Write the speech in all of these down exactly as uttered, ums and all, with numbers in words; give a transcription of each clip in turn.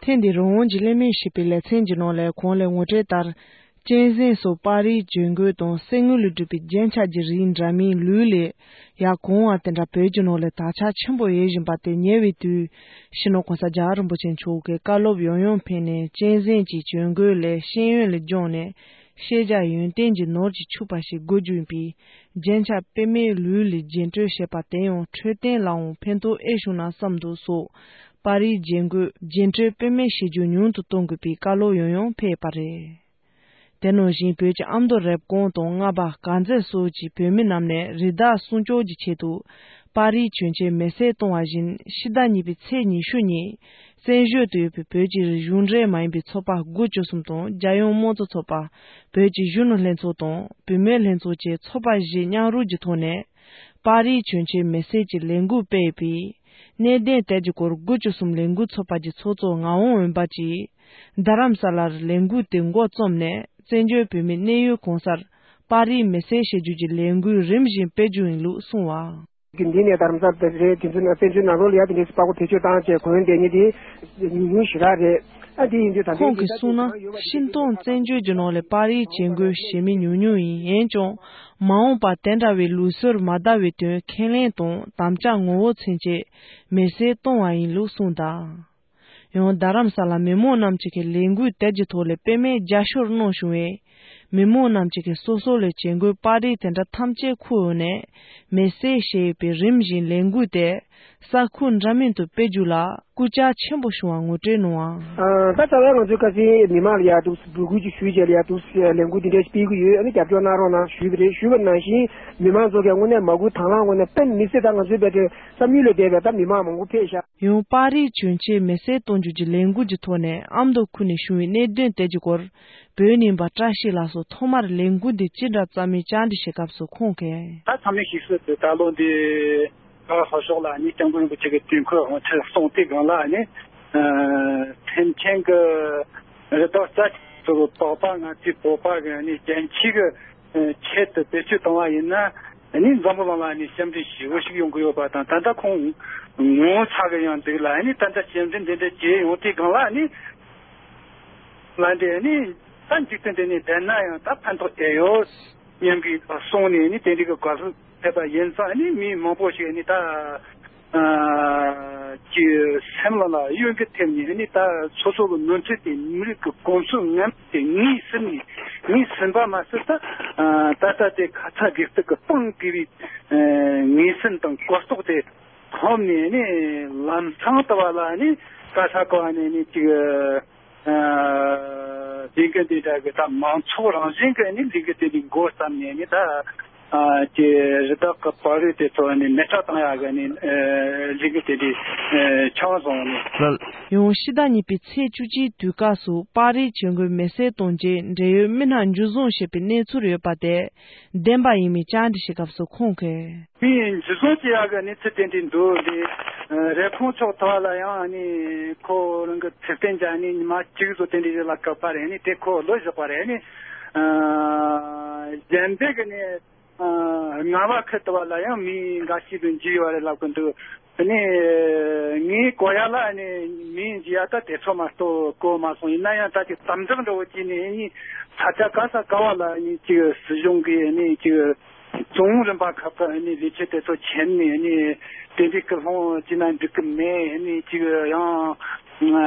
ཐེངས་འདིའི་རང་དབང་གི་གླེང་མོལ་ཞེས་པའི་ལེ་ཚན་གྱི་ནང་ལ་གོང་ལ་ངོ་སྤྲོད་ལྟར། གཅན་གཟན་སོགས་པར་རིས་གྱོན་གོས་དང་གསེར་དངུལ་ལས་གྲུབ་པའི་རྒྱན་ཆ་གྱི་རིགས་འདྲ་མིན་ལུས་ལས་ཡར་གང་བ་དེ་འདྲ་བོད་ཀྱི་ནང་ལ་དར་ཁྱབ་ཆེན་པོ་ཡོད་བཞིན་པ་དེ་ཉེ་བའི་དུས་སྤྱི་ནོར་༸གོང་ས་༸རྒྱལ་བ་རིན་པོ་ཆེ་མཆོག་གིས་བཀའ་སློབ་ཡང་ཡང་ཕེབས་ནས། གཅན་གཟན་གྱི་གྱོན་གོས་ལས་ཤེས་ཡོན་ལ་སྦྱངས་ནས་ཤེས་བྱ་ཡོན་ཏན་གྱི་ནོར་གྱིས་ཕྱུག་པ་ཞིག་དགོས་རྒྱུ་ཡིན་པས། རྒྱན་ཆ་དཔེ་མེད་ལུས་ལས་རྒྱན་སྤྲོས་བྱས་པ་དེ་ཡང་འཕྲོད་བསྟེན་ལའང་ཕན་ཐོགས་ཨེ་བྱུང་ན་བསམ་འདུག་སོགས། པར་རིས་རྒྱན་གོས་རྒྱན་སྤྲོས་དཔེ་མེད་བྱེད་རྒྱུ་ཉུང་དུ་གཏོང་དགོས་པའི་བཀའ་སློབ་ཡང་ཡང་ཕེབས་པ་རེད། དེ་ནང་བཞིན་བོད་ཀྱི་ཨ་མདོ་རེབ་གོང་དང་རྔ་པ་དཀར་མཛེས་སོགས་ཀྱི་བོད་མི་རྣམས་ནས་རི་དྭགས་སྲུང་སྐྱོབ་ཀྱི་ཆེད་དུ་པར་རིས་གྱོན་ཆས་མེ་སྲེག་གཏོང་བ་བཞིན། ཕྱི་ཟླ་གཉིས་པའི་ཚེས་ཉི་ཤུ་ཉིན་བཙན་བྱོལ་དུ་ཡོད་པའི་བོད་ཀྱི་གཞུང་འབྲེལ་མ་ཡིན་པའི་ཚོགས་པ་དགུ་བཅུ་གསུམ་དང་། རྒྱལ་ཡོངས་དམངས་གཙོ་ཚོགས་པ། བོད་ཀྱི་གཞོན་ནུ་ལྷན་ཚོགས་དང་བུད་མེད་ལྷན་ཚོགས་བཅས་ཚོགས་པ་བཞི་མཉམ་རུབ་ཀྱི་ཐོག་ནས། པར་རིས་གྱོན་ཆས་མེ་སྲེག་གི་ལས་འགུལ་སྤེལ་ཡོད་པས། གནད་དོན་དེ་གྱི་སྐོར་དགུ་བཅུ་གསུམ་ལས་འགུལ་ཚོགས་པ་གྱི་ཚོགས་གཙོ་ངག་དབང་འོད་འབར་གྱིས། རྡ་རམ་ས་ལར་ལས་འགུལ་དེ་འགོ་རྩོམ་ནས། བཙན་བྱོལ་བོད་མིའི་གནས་ཡུལ་གང་སར་པར་རིས་མེ་སྲེག་བྱེད་རྒྱུ་གྱི་ལས་འགུལ་རིམ་བཞིན་སྤེལ་རྒྱུ་ཡིན་ལུགས་གསུངས་པ། འདི་ནས་རྡ་རམ་ས་ལ་རེད། དེ་ཚོ་ན་བཙན་བྱོལ་ནང་ལོགས་ལ་ཡ་དེ་འདྲའི་པར་གོ་བེད་སྤྱོད་བཏང་བྱས་གོན་བསྡད་མཁན་དེ་ཉུང་ཉུང་ཞེ་དྲག་རེད། ཨ་འདི་ཡིན་དུས་ད་ལྟའི་ཁོང་གིས་གསུངས་ན། ཤིན་ཏུ་བཙན་བྱོལ་གྱི་ནང་ལ་པར་རིས་བྱེད་དགོས་ཞེས་མི་ཉུང་ཉུང་ཡིན། འོན་ཀྱང་མ་འོངས་པར་དེ་འདྲ་བའི་ལུགས་སྲོལ་མ་དར་བའི་དོན་ཁས་ལེན་དང་དམ་བཅའ་ངོ་བོ་མཚོན་ཆེད་མེ་སྲེག་གཏོང་བ་ཡིན་ལུགས་གསུངས་གདའ། ཡང་རྡ་རམ་ས་ལ་མི་མང་རྣམས་ཀྱི་ལས་འགུལ་དེ་གྱི་ཐོག་ལ་དཔེ་མེད་རྒྱབ་སྐྱོར་གནང་བྱུང་བས། མི་མང་རྣམས་ཀྱིས་སོ་སོ་ལ་བྱེད་དགོས་པར་རིས་དེ་འདྲ་ཐམས་ཅད་ཁུར་འོང་ནས་མེ་སྲེག་བྱས་ཡོད་པའི་རིམ་བཞིན་ལས་འགུལ་དེ་ས་ཁུལ་འདྲ་མིན་དུ་སྤེལ་རྒྱུ་ལ་སྐུལ་ལྕག་ཆེན་པོ་བྱུང་བ་ངོ་སྤྲོད་གནང་བ། ད་ལྟ་བར་ང་ཚོས་ཁ་སང་མི་མང་ལ་ཡ་འདུག་འབོད་སྐུལ་ཅིག་ཞུས་བྱས་ལ་ཡ་འདུག་ལས་འགུལ་འདི་འདྲ་ཞིག་སྤེལ་གྱི་ཡོད། ཨ་ནི་རྒྱབ་སྐྱོར་གནང་རོགས་གནང་ཞུས་པ་རེད། ཞུས་པ་ནང་བཞིན་མི་མང་ཚོ་གིས་དངོས་གནས་མ་སྐུལ་དང་བླངས་ངོས་ནས་དཔེ་མི་སྲིད། ད་ང་ཚོའི་བལ་ཏེ་བསམ་ཡུལ་ལས་འདས་པའི་ད་མི་མང་མང་པོ་ཕེབས་ཤག་ཡང་པར་རིས་གྱོན་ཆས་མེ་སྲེག་གཏོང་རྒྱུ་གྱི་ལས་འགུལ་གྱི་ཐོག་ནས་ཨ་མདོ་ཁུལ་ནས་བྱུང་བའི་གནད་དོན་དེ་གྱི་སྐོར་བོད་རྙིང་པ་བཀྲ་ཤིས་ལགས་སུ་ཐོག་མར་ལས་འགུལ་འདི་ཅི་འདྲ་བརྩམས་མིན་བཅར་འདྲི་བྱེད་སྐབས་སུ་ཁོང་གིས། ད་ཚང་མས་ཤེས་གསལ་དུ་ད་ལོ་འདི་ལྷོ་ཕྱོགས་ལ་ནི་སྐྱབས་མགོན་རིན་པོ་ཆེ་གི་དུས་འཁོར་དབང་ཆེན་གསུངས་དུས་སྒང་ལ་ནི་ཐེམ་ཆེན་གྱི་རི་དྭགས་རྩྭ་ཚོ་པགས་པ་ང་ཚོའི་བོད་པ་གི་ནི་རྒྱལ་སྤྱི་གི་ཆེད་དུ་བེད་སྤྱོད་བཏང་བ་ཡིན་ན། ནི་འཛམ་བུ་གླིང་ལ་ནི་སྐྱབས་འགྲོ་ཞེ་པོ་ཞིག་ཡོང་གི་ཡོད་པ་དང་། ད་ལྟ་ཁོང་ངོ་ཚ་གི་ཡང་འདུག་ལ། ནི་ད་ལྟ་སྐྱབས་འགྲོ་འདི་འདྲ་བྱས་ཡོང་དུས་སྒང་ལ་ནི་ལ་འདི་ནི་ད་འཇིག་རྟེན་འདི་ནི་བསྡད་ན་ཡང་ད་ཕན་ཐོགས་དེ་ཡོད་སྙམ་གྱི་གསུངས་ནས་ནི་དེ་འདྲ་གི་དགའ་བསུ་ཕེབས་པ་ཡིན་ཙང་། ནི་མི་མང་པོ་ཞིག་ནི་ད་ཀྱི་སེམས་ལ་ལ་གཡོ་འགུལ་ཐེབས་ནས་ནི་ད་སོ་སོ་གི་ནོར་འཁྲུལ་དེ་མི་རིགས་ཀྱི་གོམས་སྲོལ་ངན་པ་དེ་ངོས་ཟིན་ནས། ངོས་ཟིན་པ་མ་ཟད་ད་ད་ལྟ་དེ་ཁ་ཚ་དགོས་གཏུག་གི་སྤང་དགོས་པའི་ངོས་ཟིན་དང་གོ་རྟོགས་དེ་ཐོབ་ནས་ནི་ལམ་སང་དུ་བ་ལ་ནི་ག་ས་ག་བ་ནས་ནི་ཅིག་ལས་འགུལ་དེ་འདྲ་གི་ད་མང་ཚོགས་རང་བཞིན་གྱི་ནི་ལས་འགུལ་དེ་འདྲའི་འགོ་བརྩམས་ནས་ནི་ད། ཨ་ཀྱི་རི་དྭགས་ཀྱི་པར་རིས་དེ་ཚོ་ནི་མེ་སྲེག་བཏང་ཡག་གི་ནི་ལས་འགུལ་དེ་འདྲའི་ཆགས་སོང་ནི། ཡང་ཕྱི་ཟླ་གཉིས་པའི་ཚེས་བཅུ་གཅིག་དུས་སྐབས་སུ་པར་རིས་གྱོན་གོས་མེ་སྲེག་གཏོང་རྗེས་འབྲེལ་ཡོད་མི་སྣ་འཇུ་བཟུང་བྱས་པའི་གནས་ཚུལ་ཡོད་པ་དེ་བདེན་པ་ཡིན་མིན་བཅར་འདྲི་ཞུས་སྐབས་སུ་ཁོང་གིས། མི་འཇུ་བཟུང་བྱེད་ཡག་གི་གནས་ཚུལ་དེ་འདྲའི་འདུག་ལས། རེབ་གོང་ཕྱོགས་ཐོག་ལ་ཡང་ནི་ཁོ་རང་གི་ཚེ་བརྟན་ཅན་ནི་ཉི་མ་གཅིག་བཟོ་དེ་འདྲའི་ལ་བཀག་པ་རེད། ནི་དེ་ཁོ་ལོ་བཞག་པ་རེད། ནི་གཞན་པའི་གི་ནི། རྔ་བ་ཁུལ་དུ་བ་ལ་ཡང་མི་འགའ་ཞིག་ཏུ་འཇུས་ཡོད་རེད་ལབ་ཀྱི་འདུག་ནི་ངའི་གོ་ཡ་ལ་ནི་མི་འཇུ་ཡ་ད་དེ་ཚོ་མ་གཏོགས་གོ་མ་སོང་། ཡིན་ན་ཡང་ད་ཅིག་དམ་དྲག་འདྲ་བོ་བྱས་ནས་ནི་ས་ཆ་ག་ས་ག་བ་ལ་ནི་ཅིག་སྲིད་གཞུང་གིས་ནི་ཅིག་བཙོན་རིམ་པ་ཁག་གི་ནི་ལས་བྱེད་དེ་ཚོ་ཁྱེར་ནས་ནི་དེ་འདྲའི་སྐུལ་སློང་བྱས་ན་འགྲིག་གི་མེད། ནི་ཅིག་ཡང་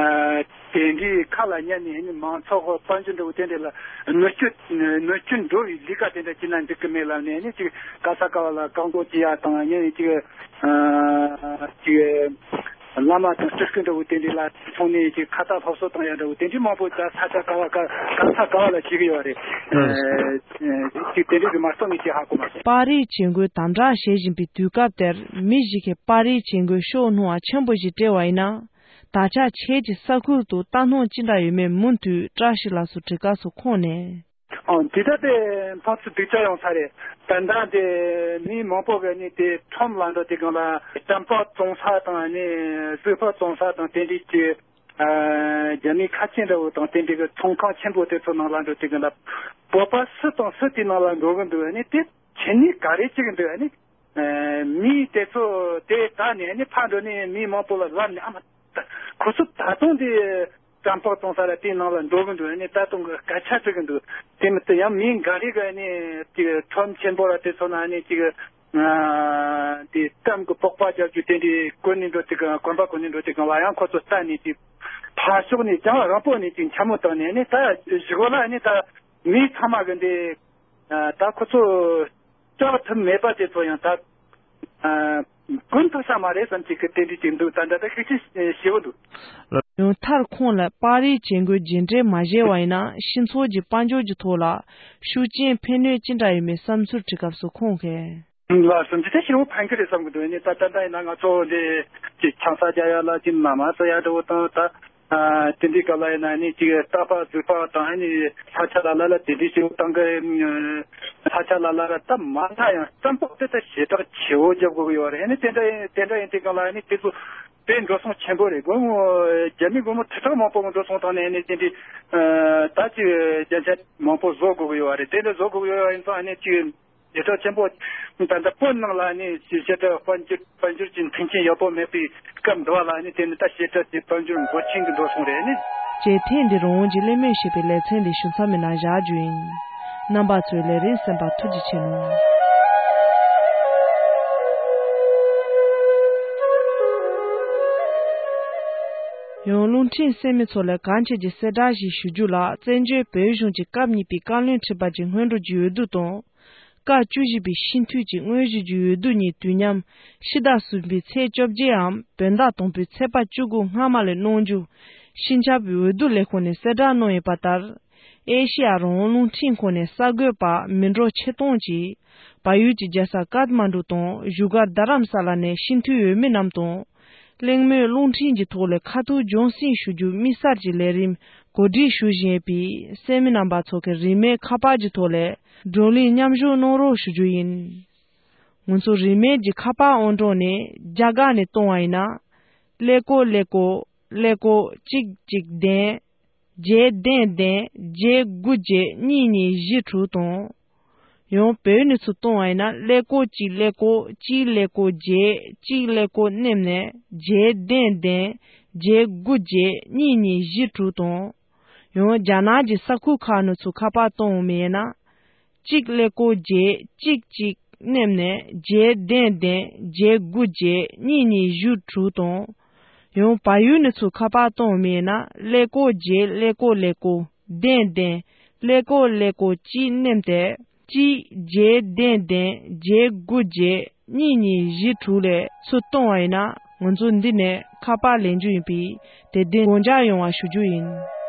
དེ་འདྲའི་ཁ་ལ་ཉན་ནས་ནི་མང་ཚོགས་དཔལ་འབྱོར་འདྲ་བོ་དེ་འདྲ་ལ་གནོད་སྐྱོན་གནོད་སྐྱོན་འགྲོ་བའི་ལས་ཀ་དེ་འདྲ་བྱས་ན་འགྲིག་གི་མེད་ལབ་ནས་ནི་ཅིག་ག་ས་ག་བ་ལ་བཀག་འགོག་བྱེད་ཡ་དང་། ཡང་ཅིག་ཅིག་བླ་མ་དང་སྤྲུལ་སྐུ་འདྲ་བོ་དེ་འདྲ་ལ་ཐོན་ནས་ཅིག་ཁ་ཏ་སློབ་གསོ་བཏང་ཡ་འདྲ་བོ་དེ་འདྲ་མང་པོ་ད་ས་ཆ་ག་བ་ག་ག་ས་ག་བ་ལ་བྱེད་གི་ཡོད་རེད། ཅིག་དེ་འདྲ་གི་མ་གཏོགས་ངས་ཅིག་ཧ་གོ་མ་སོང་། པར་རིས་གྱོན་གོས་དམ་དྲག་བྱེད་བཞིན་པའི་དུས་སྐབས་དེར་མི་ཞིག་གིས་པར་རིས་གྱོན་གོས་ཤོག་སྣང་བ་ཆེན་པོ་ཞིག་སྤྲད་པ་ཡིན་ན། ད་ཆ་ཁྱེད་ཀྱི་ས་ཁུལ་དུ་ལྟ་སྣང་ཅི་འདྲ་ཡོད་མེད་མུ་མཐུད་བཀྲ་ཤིས་ལགས་སུ་དྲི་སྐབས་སུ་ཁོང་ནས། ཨང་། དེ་ལྟ་སྟེ་ཕན་ཚུན་སྡུག་ཅག་ཡོང་ས་རེད། ད་ལྟ་དེ་མི་མང་པོ་གིས་ནི་དེ་ཁྲོམ་ལ་འགྲོ་དུས་སྒང་ལ་སྐམ་པ་བཙོང་ས་དང་ནི་གཟུགས་པོ་བཙོང་ས་དང་དེ་འདྲའི་གི་རྒྱ་མི་ཁ་ཆེ་འདྲ་བོ་དང་དེ་འདྲའི་གི་ཚོང་ཁང་ཆེན་པོ་དེ་ཚོ་ནང་ལ་འགྲོ་དུས་སྒང་ལ་བོད་པ་སུ་དང་སུ་དེའི་ནང་ལ་འགྲོ་གི་འདུག་ནི་དེ་ཁྱེད་ནི་ག་རེ་བྱེད་གི་འདུག་ནི། མི་དེ་ཚོ་དེ་ད་ནས་ནི་ཕར་འགྲོ་ནས་མི་མང་པོ་ལ་ལབ་ནས། ཨ་མ། ཁོ་ཚོ་ད་དུང་དེ་ རྩམ་པ་བཙོང་ས་ལ་དེའི་ནང་ལ་འགྲོ་གི་འདུག་ཨ་ནི་ད་དུང་གི་སྐད་ཆ་དྲི་གི་འདུག་དེ་མི་ཚད་ཡང་མིའི་འགའ་རེ་གི་ཨ་ནི་ཅིག་ཁྲོམ་ཆེན་པོ་ལ་དེ་ཚོ་ན་ཨ་ནི་ཅིག་ཨ་དེ་རྩམ་གི་པགས་པ་རྒྱག་རྒྱུ་དེ་འདྲའི་གོན་ནས་འགྲོ་དུས་གི་གོན་པ་གོན་ནས་འགྲོ་དུས་གང་ལ་ཡང་ཁོ་ཚོ་ལྟ་ནས་ཅིག་ཕར་ཕྱོགས་ནས་རྒྱང་རིང་པོ་ནས་ཅིག་འཕྱ་སྨོད་བཏང་ནས་ཨ་ནི་ད་གཞུག་ལ་ཨ་ནི་ད་མི་ཚང་མ་གི་འདི་ད་ཁོ་ཚོ་བཅག་ཐུབ་མེད་པ་དེ་ཚོ་ཡང་ད་ཨ་གོན་ཐུབ་ས་མ་རེད་བསམ་གྱི་གི་དེ་འདྲའི་ཅིག་འདུག་ད་ད་ལྟ་ཤུགས་ཆེ་ཞེ་པོ་འདུག་ཡང་མཐར་ཁོང་ལ་པར་རིས་བྱེད་དགོས་རྒྱུ་འབྲས་མ་བཞེས་པ་ཡིན་ན་སྤྱི་ཚོགས་ཀྱི་དཔལ་འབྱོར་གྱི་ཐོག་ལ་ཤུགས་རྐྱེན་ཕན་གནོད་ཅི་འདྲ་ཡོད་མེད་བསམ་ཚུལ་དྲི་སྐབས་སུ་ཁོང་གིས། ལ་བསམ་གྱི་དེ་ཞེ་པོ་ཕན་གི་རེད་བསམ་གི་འདུག་ཡིན་ནའི་ད་ད་ལྟ་ཡིན་ན་ང་ཚོ་འདི་ཅིག་ཆང་ས་རྒྱག་ཡ་ལ་ཅིག་མ་མ་ཟ་ཡ་འདྲ་བོ་དང་ད། ཨ་དེ་འདྲའི་སྐབས་ལ་ཡིན་ན་ནི་ཅིག་རྟ་ཕག་ཟོས་ཕག་དང་ཨ་ནི་ས་ཆ་ལ་ལ་ལ་དེ་འདྲའི་ཞིག་བཏང་གི། ས་ཆ་ལ་ལ་ལ་ད་མ་མཐའ་ཡང་རྩམ་པ་དེ་ད་ཞེ་དྲག་ཆེ་བོ་རྒྱབ་དགོས་ཀྱི་ཡོད་རེད། ཨ་ནི་དེ་འདྲ་ཡིན་དེ་འདྲ་ཡིན་དུས་སྒང་ལ་ཨ་ནི་དེ་ཚོ་དཔེ་འགྲོ་སོང་ཆེན་པོ་རེད། སྒོར་མོ་རྒྱ་མི་སྒོར་མོ་ཁྲི་ཕྲག་མང་པོ་འགྲོ་སོང་བཏང་ནས་ཨ་ནི་དེ་འདྲའི་ད་ཅིག་རྒྱ་ཆ་མང་པོ་བཟོ་དགོས་ཀྱི་ཡོད་རེད། དེ་འདྲ་བཟོ་དགོས་ཀྱི་ཡོད་ཡིན་ཙང་ཨ་ནི་ཅིག་ཞེ་དྲག་ཆེན་པོ། ད་ལྟ་བོད་ནང་ལ་ནི་ཞེ་དྲག་དཔལ་འབྱོར་དཔལ་འབྱོར་གྱི་མཐུན་རྐྱེན་ཡག་པོ་མེད་པའི་སྐབས་འདི་བ་ལ་ནི་དེ་ནི་ད་ཞེ་དྲག་གི་དཔལ་འབྱོར་འབོར་ཆེན་གྱི་འགྲོ་སོང་རེད་ནི། ཅེས་ཐེངས་འདིར་འོང་གི་གླེང་མོལ་ཞེས་པའི་ལེ་ཚན་འདི་ཞུ་མཚམས་མེད་ན་བཞག་རྒྱུ་ཡིན། རྣམ་པ་ཚོས་ལས་རིམ་གསན་པར་ཐུགས་རྗེ་ཆེ་གནང་། ཡང་རླུང་འཕྲིན་གསན་མི་ཚོ་ལ་གང་ཆེ་གྱི་གསལ་བསྒྲགས་ཤིག་ཞུ་རྒྱུ་ལ། བཙན་བྱོལ་བོད་གཞུང་གི་སྐབས་གཉིས་པའི་བཀའ་བློན་ཁྲི་པ་གྱི་སྔོན་འགྲོ་གྱི་འོས་བསྡུ་དང་། སྐབས་བཅུ་བཞི་པའི་སྤྱི་འཐུས་ཀྱི་དངོས་གཞི་གྱི་འོས་བསྡུ་གཉིས་དུས་མཉམ་ཕྱི་ཟླ་གསུམ་པའི་ཚེས་བཅོ་བརྒྱད་འམ་བོད་ཟླ་དང་པོའི་ཚེས་པ་བཅུ་དགུ་སྔ་མ་ལ་གནང་རྒྱུ་སྤྱི་ཁྱབ་འོས་བསྡུ་ལས་ཁུངས་ནས་གསལ་བསྒྲགས་གནང་ཡོད་པ་ལྟར། ཨེ་ཤེ་ཡ་རང་དབང་རླུང་འཕྲིན་ཁང་ནས་གསར་འགོད་པ་མི་འགྲོ་ཆེ་གཏོང་གིས་བལ་ཡུལ་གྱི་རྒྱལ་ས་ཀཏ་མན་ཌུ་དང་བཞུགས་སྒར་རྡ་རམ་ས་ལ་ནས་སྤྱི་འཐུས་འོས་མི་རྣམས་དང་། གླེང་མོལ་རླུང་འཕྲིན་གྱི་ཐོག་ལས་ཁ་ཐུག་རྒྱང་སྲིང་ཞུ་རྒྱུ་དམིགས་བསལ་གྱི་ལས་རིམ་གོ་སྒྲིག་ཞུ་བཞིན་ཡོད་པས་གསན་མི་རྣམ་པ་ཚོ་གིས་རིན་མེད་ཁ་པར་གྱི་ཐོག་ལས་བགྲོ་གླེང་མཉམ་ཞུགས་གནང་རོགས་ཞུ་རྒྱུ་ཡིན། ང་ཚོ་རིན་མེད་ཀྱི་ཁ་པར་ཨང་གྲངས་ནི་རྒྱ་སྒང་ནས་གཏོང་བ་ཡིན་ན། ཀླད་ཀོར་ཀླད་ཀོར་ཀླད་ཀོར་གཅིག་གཅིག་བདུན། བརྒྱད་བདུན་བདུན་བརྒྱད་དགུ་བརྒྱད་གཉིས་གཉིས་བཞི་དྲུག་དང་། ཡང་བོད་ནས་ཚུར་གཏོང་བ་ཡིན་ན་ཀླད་ཀོར་གཅིག་ཀླད་ཀོར་གཅིག་ཀླད་ཀོར་བརྒྱད་གཅིག་ཀླད་ཀོར་གནམ་ནས་བརྒྱད་བདུན་བདུན་བརྒྱད་དགུ་བརྒྱད་གཉིས་གཉིས་བཞི་དྲུག་དང་། ཡང་རྒྱ་ནག་གི་ས་ཁུལ་ཁག་ནས་ཚུར་ཁ་པར་གཏོང་མི་ཡིན་ན། གཅིག་ཀླད་ཀོར་བརྒྱད་གཅིག་གཅིག་གནམ་ནས་བརྒྱད་བདུན་བདུན་བརྒྱད་དགུ་བརྒྱད་གཉིས་གཉིས་བཞི་དྲུག་དང་། ཡང་བལ་ཡུལ་ནས་ཚུར་ཁ་པར་གཏོང་མི་ཡིན་ན་ཀླད་ཀོར་བརྒྱད་ཀླད་ཀོར་ཀླད་ཀོར་བདུན་བདུན་ཀླད་ཀོར་ཀླད་ཀོར་གཅིག་གནམ་ནས་གཅིག་བརྒྱད་བདུན་བདུན་བརྒྱད་དགུ་བརྒྱད་གཉིས་གཉིས་བཞི་དྲུག་ལས་ཚུར་གཏོང་བ་ཡིན་ན་ང་ཚོ་འདི་ནས་ཁ་པར་ལེན་རྒྱུ་ཡིན་པས་དེ་བདེན་དགོངས་འཇགས་ཡོང་བ་ཞུ་རྒྱུ་ཡིན།